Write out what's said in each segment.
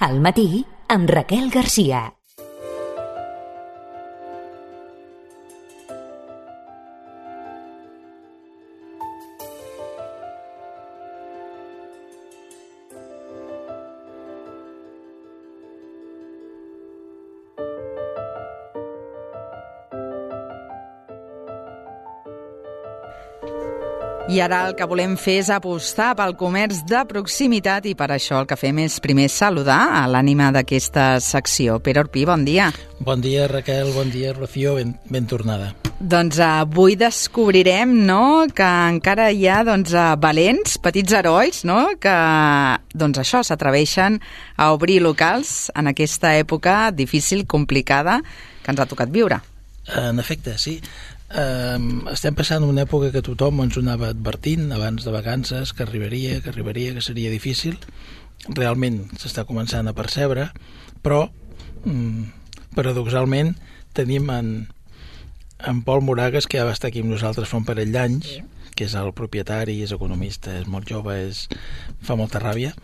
Al matí, amb Raquel Garcia. I ara el que volem fer és apostar pel comerç de proximitat i per això el que fem és primer saludar a l'ànima d'aquesta secció. Pere Orpí, bon dia. Bon dia, Raquel, bon dia, Rocío, ben tornada. Doncs avui descobrirem, no?, que encara hi ha valents, petits herois, no?, que això s'atreveixen a obrir locals en aquesta època difícil, complicada, que ens ha tocat viure. En efecte, sí. Estem passant una època que tothom ens ho anava advertint abans de vacances, que arribaria, que seria difícil. Realment s'està començant a percebre, però paradoxalment tenim en Pol Moragas, que ja va estar aquí amb nosaltres fa un parell d'anys, que és el propietari, és economista, és molt jove, fa molta ràbia,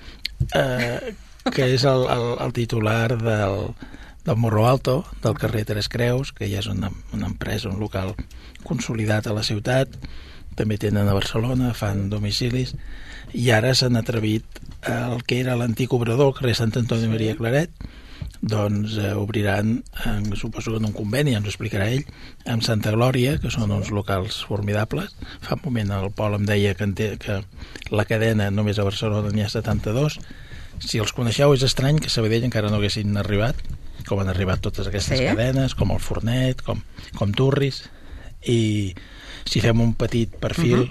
que és el titular del Morro Alto, del carrer Tres Creus, que ja és una empresa, un local consolidat a la ciutat. També tenen a Barcelona, fan domicilis, i ara s'han atrevit el que era l'antic obrador, el carrer Sant Antoni Maria Claret, doncs obriran, suposo que en un conveni, ja ens ho explicarà ell, amb Santa Glòria, que són uns locals formidables. Fa un moment el Pol em deia que la cadena només a Barcelona n'hi ha 72. Si els coneixeu és estrany que a Sabadell encara no haguessin arribat, com han arribat totes aquestes cadenes, com el Fornet, com Turris. I si fem un petit perfil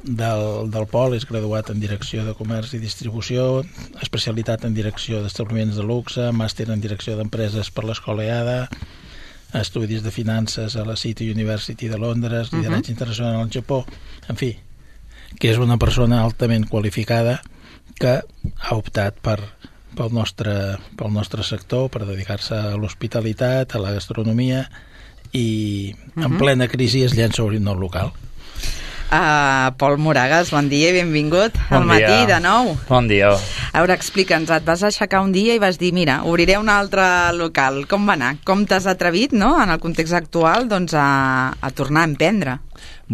del Pol, és graduat en Direcció de Comerç i Distribució, especialitat en Direcció d'Establiments de Luxe, màster en Direcció d'Empreses per l'Escola EADA, estudis de Finances a la City University de Londres, lideratge internacional al Japó, en fi, que és una persona altament qualificada que ha optat pel nostre sector, per dedicar-se a l'hospitalitat, a la gastronomia, i en plena crisi es llença a obrir un nou local. Pol Moragas, bon dia i benvingut al matí de nou. Bon dia. A veure, explica'ns, et vas aixecar un dia i vas dir, mira, obriré un altre local. Com va anar? Com t'has atrevit, no?, en el context actual, a tornar a emprendre?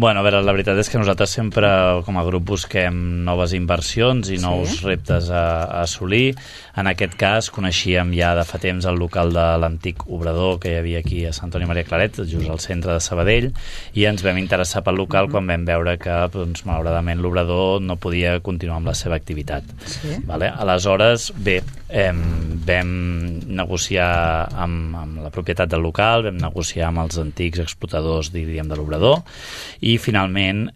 Bueno, a veure, la veritat és que nosaltres sempre, com a grup, busquem noves inversions i nous reptes a assolir. En aquest cas, coneixíem ja de fa temps el local de l'antic obrador que hi havia aquí a Sant Antoni Maria Claret, just al centre de Sabadell, i ens vam interessar pel local quan vam veure que, doncs, malauradament, l'obrador no podia continuar amb la seva activitat. Vale? Aleshores, bé, vam negociar amb la propietat del local, vam negociar amb els antics explotadors, diríem, de l'obrador, i finalment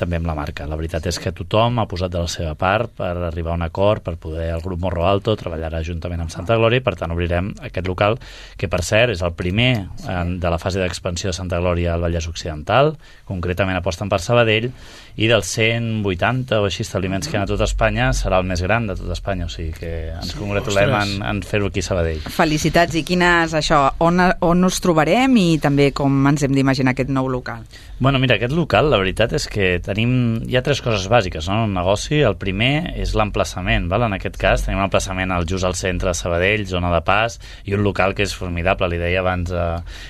també amb la marca. La veritat és que tothom ha posat de la seva part per arribar a un acord, per poder el grup Morro Alto treballarà juntament amb Santa Glòria, i per tant obrirem aquest local, que per cert és el primer de la fase d'expansió de Santa Glòria al Vallès Occidental, concretament aposten per Sabadell, i dels 180 o així establiments que hi ha a tot Espanya serà el més gran de tot Espanya, o sigui que ens congratulem en fer-ho aquí a Sabadell. Felicitats. I quines, on us trobarem i també com ens hem d'imaginar aquest nou local? Bueno, mira, aquest local, la veritat és que hi ha tres coses bàsiques, no?, en un negoci. El primer és l'emplaçament, val? En aquest cas tenim un emplaçament just al centre de Sabadell, zona de pas, i un local que és formidable. Li deia abans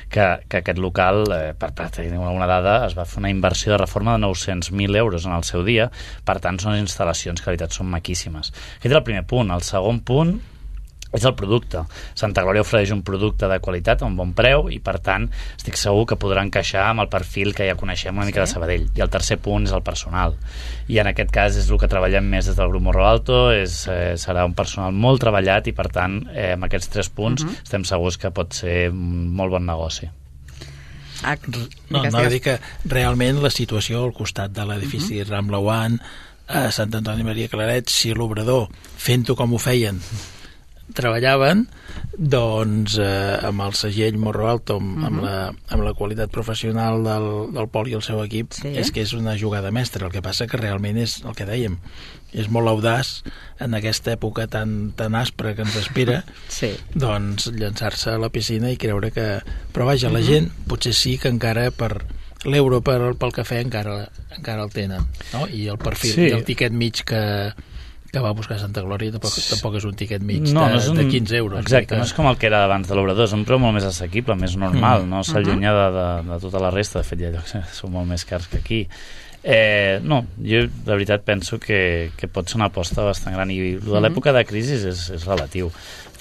que aquest local, per tenir alguna dada, es va fer una inversió de reforma de 900.000 euros en el seu dia. Per tant, són instal·lacions que, la veritat, són maquíssimes. Aquest és el primer punt. El segon punt és el producte. Santa Glòria ofereix un producte de qualitat a un bon preu i, per tant, estic segur que podrà encaixar amb el perfil que ja coneixem una mica de Sabadell. I el tercer punt és el personal. I en aquest cas és el que treballem més des del grup Morro Alto, serà un personal molt treballat i, per tant, amb aquests 3 punts estem segurs que pot ser un molt bon negoci. No, a dir que realment la situació al costat de l'edifici Rambla One, a Sant Antoni Maria Claret, si l'obrador, fent-ho com ho feien, treballaven, doncs amb el segell Morro Alto, amb la qualitat professional del Pol i el seu equip, és que és una jugada mestra. El que passa que realment és el que dèiem, és molt audaç en aquesta època tan aspra que ens espera, doncs llançar-se a la piscina i creure que... Però vaja, la gent potser sí que encara per l'euro pel cafè encara el tenen, no? I el perfil i el tiquet mig que que va a buscar Santa Glòria tampoc és un tiquet mig no, de 15 euros. Exacte, no és com el que era abans de l'Obrador, és un preu molt més assequible, més normal, no s'allunya de tota la resta. De fet, hi ha llocs que són molt més cars que aquí. No, jo de veritat penso que pot ser una aposta bastant gran, i de l'època de crisi és relatiu.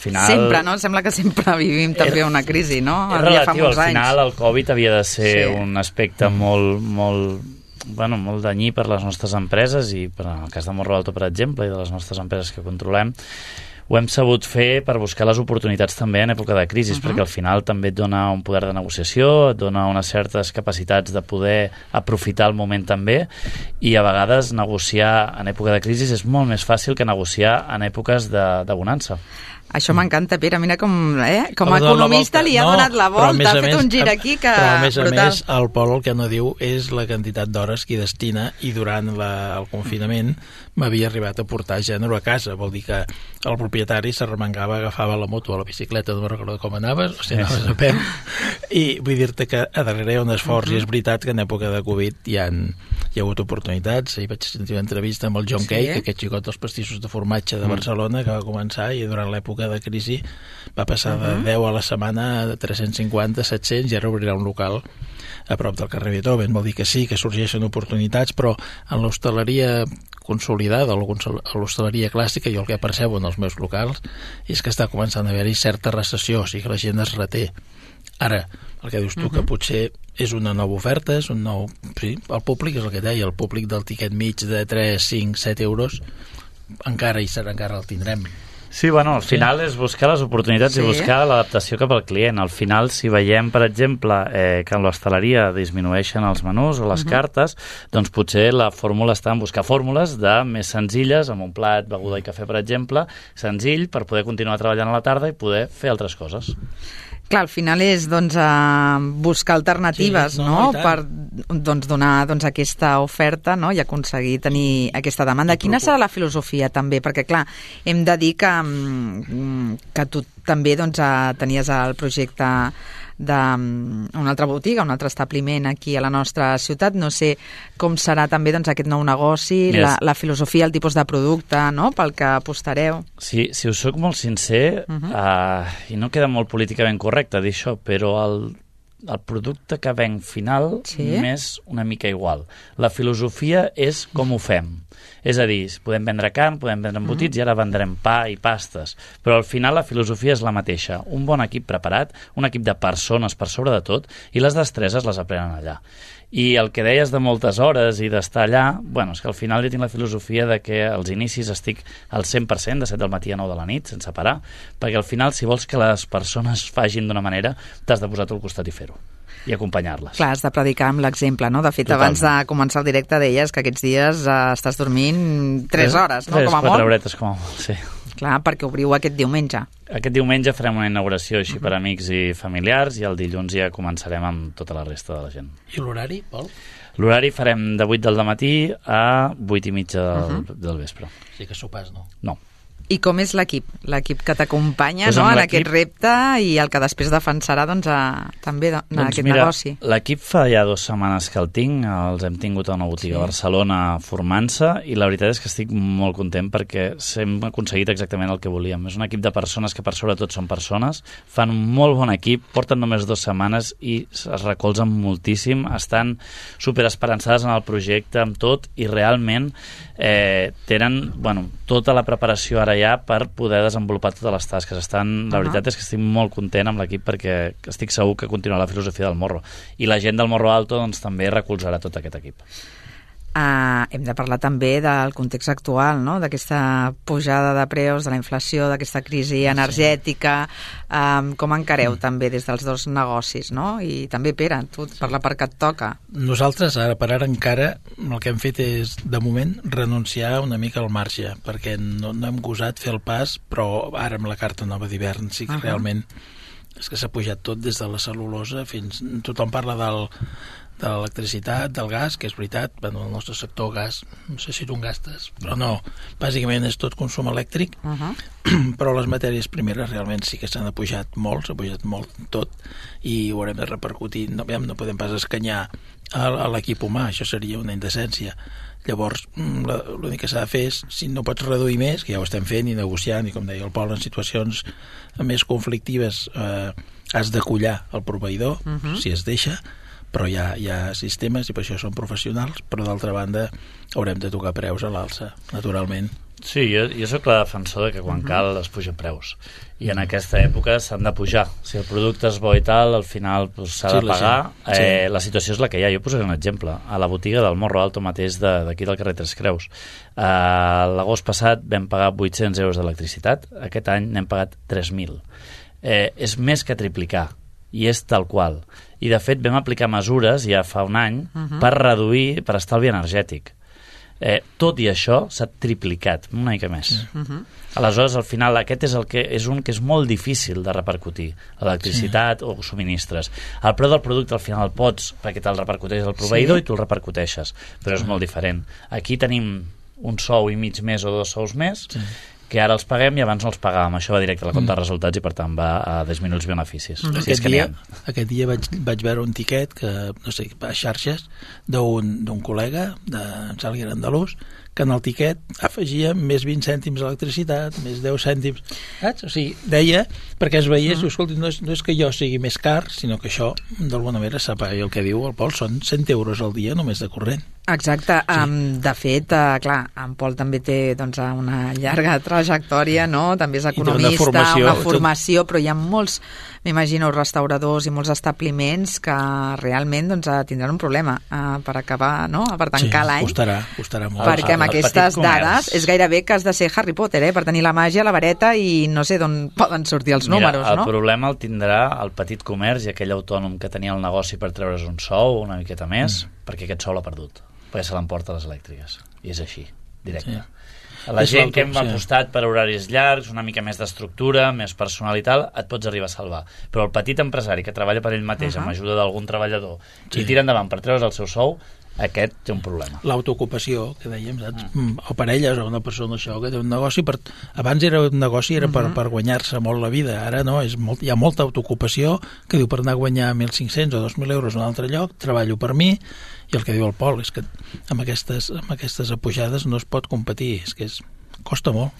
Final, sempre, no? Sembla que sempre vivim també una crisi, no? És relatiu, al final el Covid havia de ser un aspecte molt danyí per les nostres empreses, i per el cas de Morro Alto, per exemple, i de les nostres empreses que controlem, ho hem sabut fer per buscar les oportunitats també en època de crisi, perquè al final també et dona un poder de negociació, et dona unes certes capacitats de poder aprofitar el moment també, i a vegades negociar en època de crisi és molt més fàcil que negociar en èpoques de bonança. Això m'encanta, Pere, mira com a economista li ha donat la volta, ha fet un gir aquí que... Però a més, el Pol el que no diu és la quantitat d'hores que hi destina, i durant el confinament m'havia arribat a portar gènere a casa, vol dir que el propietari s'arremangava, agafava la moto o la bicicleta, no recordo com anaves, o sigui, anaves a peu, i vull dir-te que a darrere hi ha un esforç, i és veritat que en època de Covid hi ha hagut oportunitats. Hi vaig sentir una entrevista amb el John Cake, aquest xicot dels pastissos de formatge de Barcelona, que va començar, i durant l'època de crisi va passar de 10 a la setmana a 350, 700, i ara obrirà un local a prop del carrer Beethoven. Vol dir que sí, que sorgeixen oportunitats, però en l'hostaleria consolidada, a l'hostaleria clàssica, jo el que percebo en els meus locals és que està començant a haver-hi certa recessió, o sigui que la gent es reté. Ara, el que dius tu, que potser és una nova oferta, és un nou... Sí, el públic és el que deia, el públic del tiquet mig de 3, 5, 7 euros encara el tindrem. Sí, bueno, al final és buscar les oportunitats i buscar l'adaptació cap al client. Al final, si veiem, per exemple, que en l'hostaleria disminueixen els menús o les cartes, doncs potser la fórmula està en buscar fórmules més senzilles, amb un plat, beguda i cafè, per exemple, senzill, per poder continuar treballant a la tarda i poder fer altres coses. Clar, al final és buscar alternatives, per donar aquesta oferta, i aconseguir tenir aquesta demanda. Quina serà la filosofia també? Perquè, clar, hem de dir que tu també tenies el projecte d'una altra botiga, un altre establiment aquí a la nostra ciutat. No sé com serà també aquest nou negoci, la filosofia, el tipus de producte, pel que apostareu. Sí, si us soc molt sincer, i no queda molt políticament correcte dir això, però el producte que venc final m'és una mica igual. La filosofia és com ho fem. És a dir, podem vendre carn, podem vendre embotits, i ara vendrem pa i pastes. Però al final la filosofia és la mateixa. Un bon equip preparat, un equip de persones per sobre de tot, i les destreses les aprenen allà. I el que deies de moltes hores i d'estar allà, és que al final jo tinc la filosofia de que als inicis estic al 100%, de 7 del matí a 9 de la nit, sense parar, perquè al final, si vols que les persones facin d'una manera, t'has de posar tu al costat i fer-ho, i acompanyar-les. Clar, has de predicar amb l'exemple, no? De fet, abans de començar el directe deies que aquests dies estàs dormint 3 hores, no? 3-4 horetes, com a molt, sí. Clar, perquè obriu aquest diumenge. Aquest diumenge farem una inauguració així per amics i familiars, i el dilluns ja començarem amb tota la resta de la gent. I l'horari, Pol? L'horari farem de 8 del matí a 8 i mitja del vespre. O sigui que sopars, no? No. I com és l'equip? L'equip que t'acompanya en aquest repte, i el que després defensarà també en aquest negoci. L'equip fa ja 2 setmanes que el tinc, els hem tingut a una botiga a Barcelona formant-se, i la veritat és que estic molt content perquè hem aconseguit exactament el que volíem. És un equip de persones que per sobretot són persones, fan un molt bon equip, porten només 2 setmanes i es recolzen moltíssim, estan superesperançades en el projecte, amb tot, i realment tenen tota la preparació ara ja per poder desenvolupar totes les tasques. La veritat és que estic molt content amb l'equip, perquè estic segur que continuarà la filosofia del Morro, i la gent del Morro Alto també recolzarà tot aquest equip. Hem de parlar també del context actual, no? D'aquesta pujada de preus, de la inflació, d'aquesta crisi energètica. Com encareu també des dels 2 negocis, no? I també, Pere, tu, per la part que et toca. Nosaltres, ara per ara encara, el que hem fet és, de moment, renunciar una mica al marge, perquè no hem gosat fer el pas, però ara amb la carta nova d'hivern sí que realment és que s'ha pujat tot, des de la cel·lulosa fins... Tothom parla de l'electricitat, del gas, que és veritat, el nostre sector gas, no sé si tu en gastes, però no, bàsicament és tot consum elèctric, però les matèries primeres realment sí que s'han apujat molt, s'ha pujat molt tot, i ho haurem de repercutir, no podem pas escanyar a l'equip humà, això seria una indecència. Llavors, l'únic que s'ha de fer és, si no pots reduir més, que ja ho estem fent i negociant, i com deia el Pol, en situacions més conflictives has de collar el proveïdor, si es deixa, però hi ha sistemes i per això són professionals, però d'altra banda haurem de tocar preus a l'alça, naturalment. Sí, jo soc la defensor de que quan cal es puja preus, i en aquesta època s'han de pujar. Si el producte és bo i tal, al final s'ha de pagar. La situació és la que hi ha. Jo posaré un exemple. A la botiga del Morro Alto mateix d'aquí del carrer Tres Creus, l'agost passat vam pagar 800 euros d'electricitat, aquest any n'hem pagat 3.000. És més que triplicar, i és tal qual. I de fet vam aplicar mesures ja fa un any per reduir, per estalvi energètic. Tot i això s'ha triplicat, una mica més. Aleshores, al final, aquest és un que és molt difícil de repercutir, electricitat o subministres. El preu del producte al final el pots perquè te'l repercuteix el proveïdor i tu el repercuteixes, però és molt diferent. Aquí tenim un sou i mig més o 2 sous més, que ara els paguem i abans no els pagàvem. Això va directe a la compte de resultats i per tant va a disminuir els beneficis. Aquest dia vaig veure un tiquet que, no sé, a xarxes d'un col·lega de Sàlguer Andalús, que en el tiquet afegia més 20 cèntims d'electricitat, més 10 cèntims, saps? O sigui, deia, perquè es veiés, escolti, no és que jo sigui més car, sinó que això, d'alguna manera, sap, i el que diu el Pol, són 100 euros al dia només de corrent. Exacte. De fet, clar, en Pol també té una llarga trajectòria, no? També és economista, una formació, però hi ha molts, m'imagino, restauradors i molts establiments que realment tindran un problema per acabar, no? Per tancar l'any. Costarà molt. Perquè amb aquestes dades és gairebé que has de ser Harry Potter, per tenir la màgia, la vareta i no sé d'on poden sortir els números, no? El problema el tindrà el petit comerç i aquell autònom que tenia el negoci per treure's un sou una miqueta més, perquè aquest sou l'ha perdut, perquè se l'emporta les elèctriques. I és així, directe. La gent que hem apostat per horaris llargs, una mica més d'estructura, més personal i tal, et pots arribar a salvar. Però el petit empresari que treballa per ell mateix amb ajuda d'algun treballador i tira endavant per treure's el seu sou, aquest té un problema. L'autoocupació, que dèiem, saps? O parelles o una persona això que té un negoci, abans era un negoci per guanyar-se molt la vida, ara no, hi ha molta autoocupació que diu per anar a guanyar 1.500 o 2.000 euros en un altre lloc, treballo per mi, i el que diu el Pol és que amb aquestes apujades no es pot competir, és que costa molt.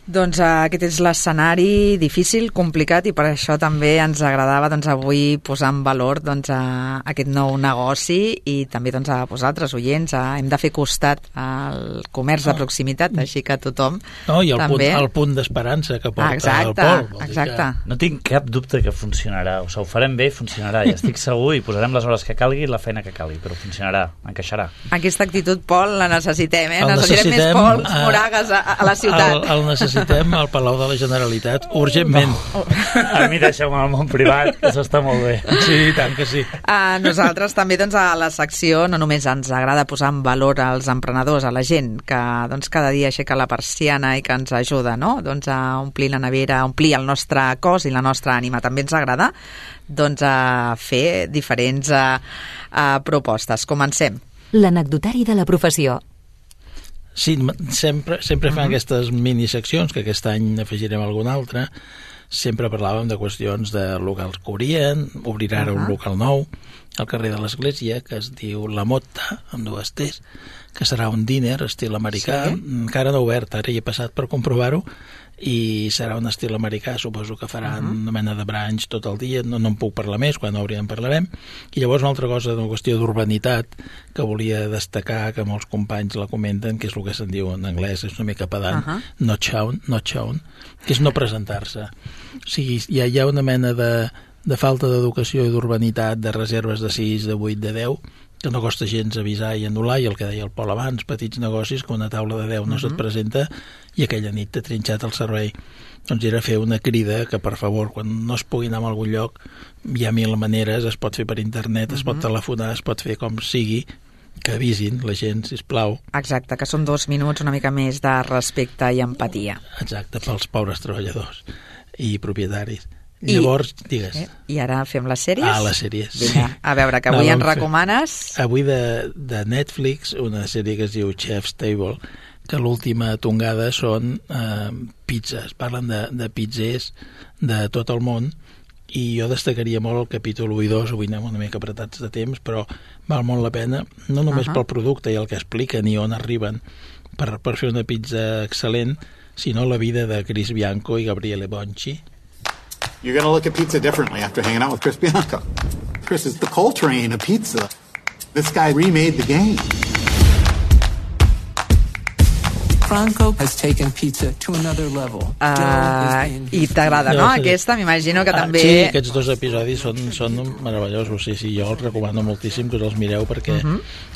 Doncs aquest és l'escenari difícil, complicat, i per això també ens agradava avui posar en valor aquest nou negoci i també a vosaltres, oients, hem de fer costat al comerç de proximitat, així que tothom i també... el punt d'esperança que porta el Pol. Exacte. No tinc cap dubte que funcionarà, o sigui, ho farem bé i funcionarà, i estic segur, i posarem les hores que calgui i la feina que calgui, però funcionarà, encaixarà. Aquesta actitud, Pol, la necessitem, necessitem més Pols Moragues a la ciutat. El necessitem al Palau de la Generalitat urgentment. A mi deixeu-me al món privat, que això està molt bé. Sí, tant que sí. Nosaltres també a la secció no només ens agrada posar en valor als emprenedors, a la gent que cada dia aixeca la persiana i que ens ajuda, no? A omplir la nevera, a omplir el nostre cos i la nostra ànima. També ens agrada a fer diferents propostes. Comencem. L'anecdotari de la professió. Sí, sempre fan aquestes miniseccions, que aquest any afegirem alguna altra. Sempre parlàvem de qüestions de locals que obrirà ara un local nou al carrer de l'Església, que es diu La Motta, amb 2 T's, que serà un diner estil americà, encara no obert, ara hi he passat per comprovar-ho, i serà un estil americà, suposo que faran una mena de branch tot el dia, no en puc parlar més, quan obri en parlarem. I llavors una altra cosa, una qüestió d'urbanitat que volia destacar, que molts companys la comenten, que és el que se'n diu en anglès, és una mica pedant, not shown, que és no presentar-se. O sigui, hi ha una mena de falta d'educació i d'urbanitat, de reserves de 6, de 8, de 10, que no costa gens avisar i anul·lar, i el que deia el Pol abans, petits negocis, que una taula de 10 no se't presenta i aquella nit t'ha trinxat el servei. Doncs era fer una crida que, per favor, quan no es pugui anar a algun lloc, hi ha 1000 maneres, es pot fer per internet, es pot telefonar, es pot fer com sigui, que avisin la gent, sisplau. Exacte, que són 2 minuts una mica més de respecte i empatia. Exacte, pels pobres treballadors i propietaris. Llavors, digues. I ara fem les sèries? Les sèries. Vinga, a veure, que avui ens recomanes... Avui de Netflix, una sèrie que es diu Chef's Table, que l'última tongada són pizzas. Parlen de pizzers de tot el món, i jo destacaria molt el capítol 1 i 2, avui anem una mica apretats de temps, però val molt la pena, no només pel producte i el que expliquen i on arriben per fer una pizza excel·lent, sinó la vida de Chris Bianco i Gabriele Bonci. You're going to look at pizza differently after hanging out with Chris Bianco. Chris is the Coltrane of pizza. This guy remade the game. Franco has taken pizza to another level. I t'agrada, no? Aquesta, m'imagino que també... Sí, aquests 2 episodis són meravellosos. Sí, jo els recomano moltíssim que us els mireu, perquè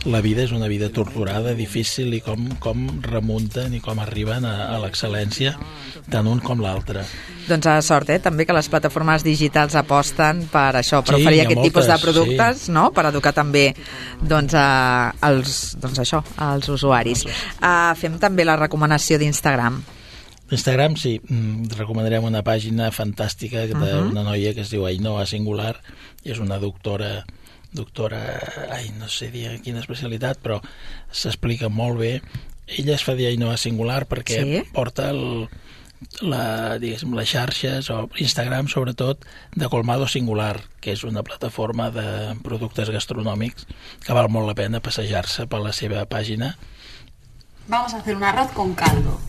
la vida és una vida torturada, difícil, i com remunten i com arriben a l'excel·lència, tant un com l'altre. Doncs a sort, també, que les plataformes digitals aposten per això, per oferir aquest tipus de productes, no? Per educar també als usuaris. Fem també la recomanació d'Instagram. D'Instagram, sí. Recomanarem una pàgina fantàstica d'una noia que es diu Ainhoa Singular, i és una doctora, no sé dir quina especialitat, però s'explica molt bé. Ella es fa dir Ainhoa Singular perquè porta les xarxes, o Instagram sobretot, de Colmado Singular, que és una plataforma de productes gastronòmics que val molt la pena passejar-se per la seva pàgina. Vamos a hacer un arroz con caldo.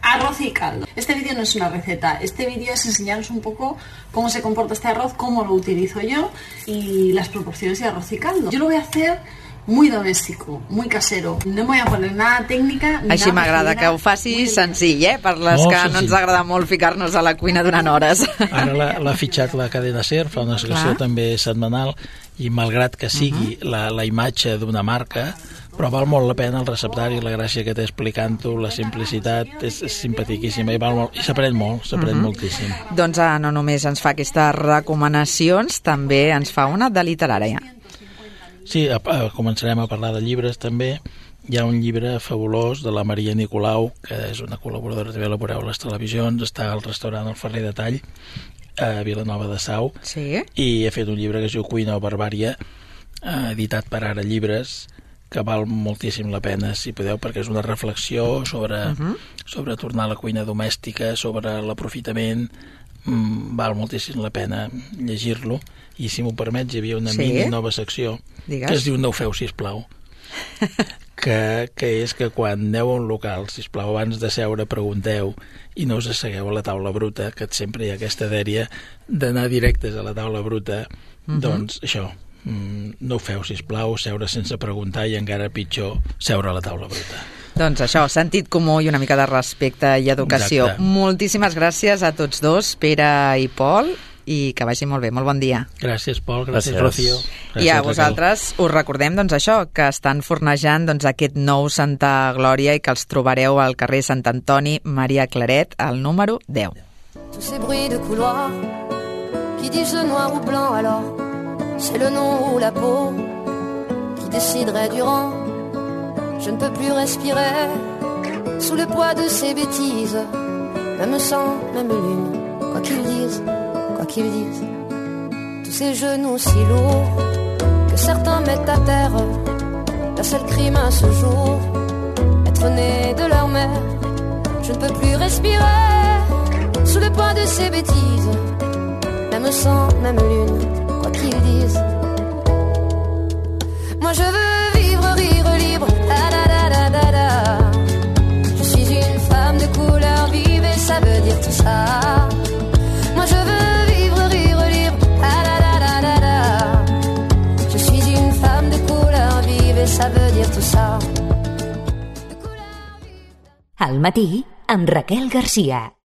Arroz y caldo. Este vídeo no es una receta, este vídeo es enseñaros un poco cómo se comporta este arroz, cómo lo utilizo yo y las proporciones de arroz y caldo. Yo lo voy a hacer muy doméstico, muy casero. No me voy a poner nada técnica. Així m'agrada que ho facis senzill, per les que no ens agrada molt ficar-nos a la cuina durant hores. Ara l'ha fitxat la cadena SER, fa una secció també setmanal, i malgrat que sigui la imatge d'una marca, però val molt la pena el receptari, la gràcia que té explicant-ho, la simplicitat, és simpatiquíssima, i s'aprèn molt, moltíssim. Doncs no només ens fa aquestes recomanacions, també ens fa una de literària. Sí, començarem a parlar de llibres també. Hi ha un llibre fabulós de la Maria Nicolau, que és una col·laboradora, també la veureu a les televisions, està al restaurant El Ferrer de Tall, a Vilanova de Sau, i ha fet un llibre que es diu Cuina o Barbària, editat per Ara Llibres, que val moltíssim la pena, si podeu, perquè és una reflexió sobre tornar a la cuina domèstica, sobre l'aprofitament. Val moltíssim la pena llegir-lo, i si m'ho permets, hi havia una mini nova secció que es diu No ho feu, sisplau, que és que quan aneu a un local, sisplau, abans de seure pregunteu i no us assegueu a la taula bruta, que sempre hi ha aquesta dèria d'anar directes a la taula bruta. Doncs això, no ho feu, sisplau, seure sense preguntar, i encara pitjor, seure a la taula bruta. Doncs això, sentit comú i una mica de respecte i educació. Exacte. Moltíssimes gràcies a tots dos, Pere i Pol, i que vagi molt bé. Molt bon dia. Gràcies, Pol. Gràcies, Rocío. I a vosaltres us recordem això, que estan fornejant aquest nou Santa Glòria i que els trobareu al carrer Sant Antoni Maria Claret, al número 10. Tous ces bruits de couloir qui disent noir ou blanc, alors c'est le nom ou la peau qui déciderait du rang. Je ne peux plus respirer sous le poids de ces bêtises, même sang, même lune, quoi qu'ils disent, quoi qu'ils disent. Tous ces genoux si lourds que certains mettent à terre, leur seul crime à ce jour, être né de leur mère. Je ne peux plus respirer sous le poids de ces bêtises, même sang, même lune, quoi qu'ils disent. Moi je veux vivre, rire libre, da da da da da da. Je suis une femme de couleur vive et ça veut dire tout ça. Moi je veux vivre, rire libre, da da da da da da. Je suis une femme de couleur vive et ça veut dire tout ça. Al matí, amb Raquel Garcia.